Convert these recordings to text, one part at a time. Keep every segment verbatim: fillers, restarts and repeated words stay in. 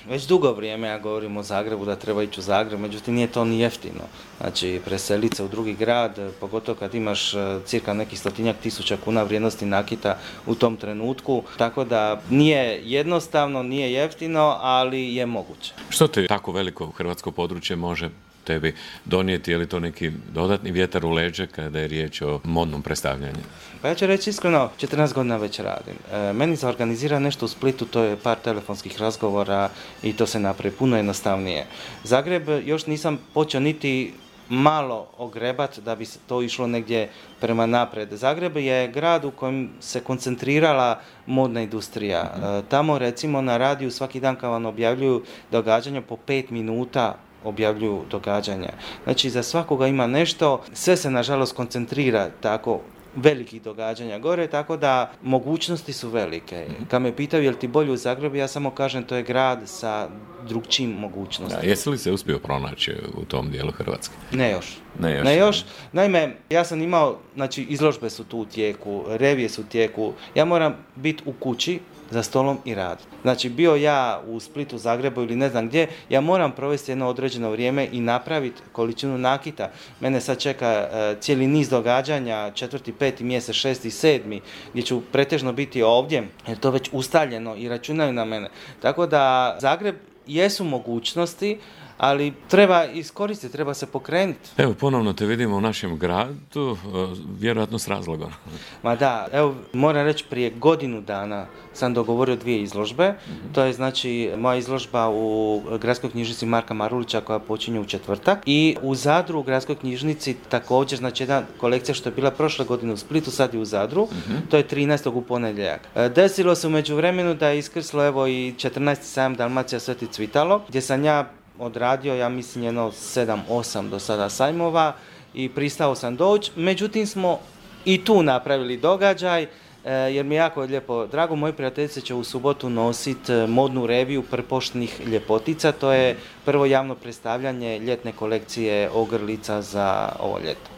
već dugo vrijeme ja govorim o Zagrebu da treba ići u Zagreb, međutim nije to ni jeftino. Znači preseliti se u drugi grad, pogotovo kad imaš cirka nekih stotinjak tisuća kuna vrijednosti nakita u tom trenutku, tako da nije jednostavno, nije jeftino, ali je moguće. Što te tako veliko hrvatsko područje može tebi donijeti, je li to neki dodatni vjetar u leđe kada je riječ o modnom predstavljanju? Pa ja ću reći iskreno, četrnaest godina već radim. E, meni se organizira nešto u Splitu, to je par telefonskih razgovora i to se napravi puno jednostavnije. Zagreb još nisam počeo niti malo ogrebat da bi to išlo negdje prema napred. Zagreb je grad u kojem se koncentrirala modna industrija. E, tamo recimo na radiju svaki dan kad vam objavljuju događanja po pet minuta objavljuju događanja. Znači za svakoga ima nešto, sve se nažalost koncentrira tako velikih događanja gore, tako da mogućnosti su velike. Kad me pitaju je li ti bolje u Zagrebu, ja samo kažem to je grad sa drugčijim mogućnostima. Da, jesi li se uspio pronaći u tom dijelu Hrvatske? Ne još. Ne još. Ne još. Naime, ja sam imao, znači izložbe su tu u tijeku, revije su u tijeku, ja moram biti u kući za stolom i rad. Znači bio ja u Splitu, Zagrebu ili ne znam gdje, ja moram provesti jedno određeno vrijeme i napraviti količinu nakita. Mene sad čeka uh, cijeli niz događanja, četvrti, peti mjesec, šesti, sedmi, gdje ću pretežno biti ovdje, jer to već ustaljeno i računaju na mene. Tako da Zagreb jesu mogućnosti, ali treba iskoristiti, treba se pokrenuti. Evo, ponovno te vidimo u našem gradu, vjerojatno s razlogom. Ma da, evo, moram reći, prije godinu dana sam dogovorio dvije izložbe. Mm-hmm. To je znači moja izložba u Gradskoj knjižnici Marka Marulića koja počinje u četvrtak i u Zadru u Gradskoj knjižnici također, znači jedna kolekcija što je bila prošle godine u Splitu, sad je u Zadru, mm-hmm. To je trinaestog u ponedjeljak. Desilo se u međuvremenu da je iskrslo evo i četrnaesti sajam Dalmacija Sveti Cvitalo, gdje sam ja odradio, ja mislim, jedno sedam osam do sada sajmova i pristao sam doći. Međutim, smo i tu napravili događaj, jer mi je jako lijepo drago. Moji prijateljice će u subotu nositi modnu reviju prpoštnih ljepotica. To je prvo javno predstavljanje ljetne kolekcije ogrlica za ovo ljeto.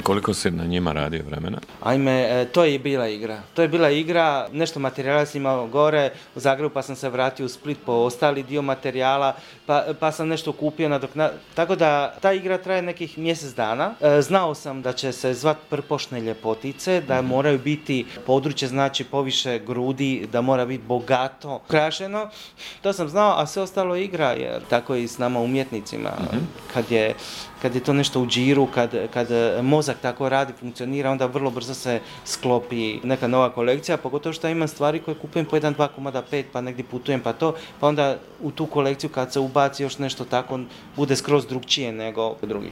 Koliko si na njima radio vremena? Ajme, to je bila igra. To je bila igra, nešto materijala sam imao gore u Zagrebu, pa sam se vratio u Split po ostali dio materijala, pa, pa sam nešto kupio nadokna... Tako da ta igra traje nekih mjesec dana. E, znao sam da će se zvat prpošne ljepotice, da mm-hmm. moraju biti područje, znači poviše grudi, da mora biti bogato ukrašeno. To sam znao, a sve ostalo igra, jer tako i s nama umjetnicima. Mm-hmm. Kad je kad je to nešto u džiru, kad, kad mozak tako radi, funkcionira, onda vrlo brzo se sklopi neka nova kolekcija, pogotovo što imam stvari koje kupujem po jedan, dva komada, pet, pa negdje putujem, pa to, pa onda u tu kolekciju kad se ubaci još nešto tako, bude skroz drugčije nego drugi.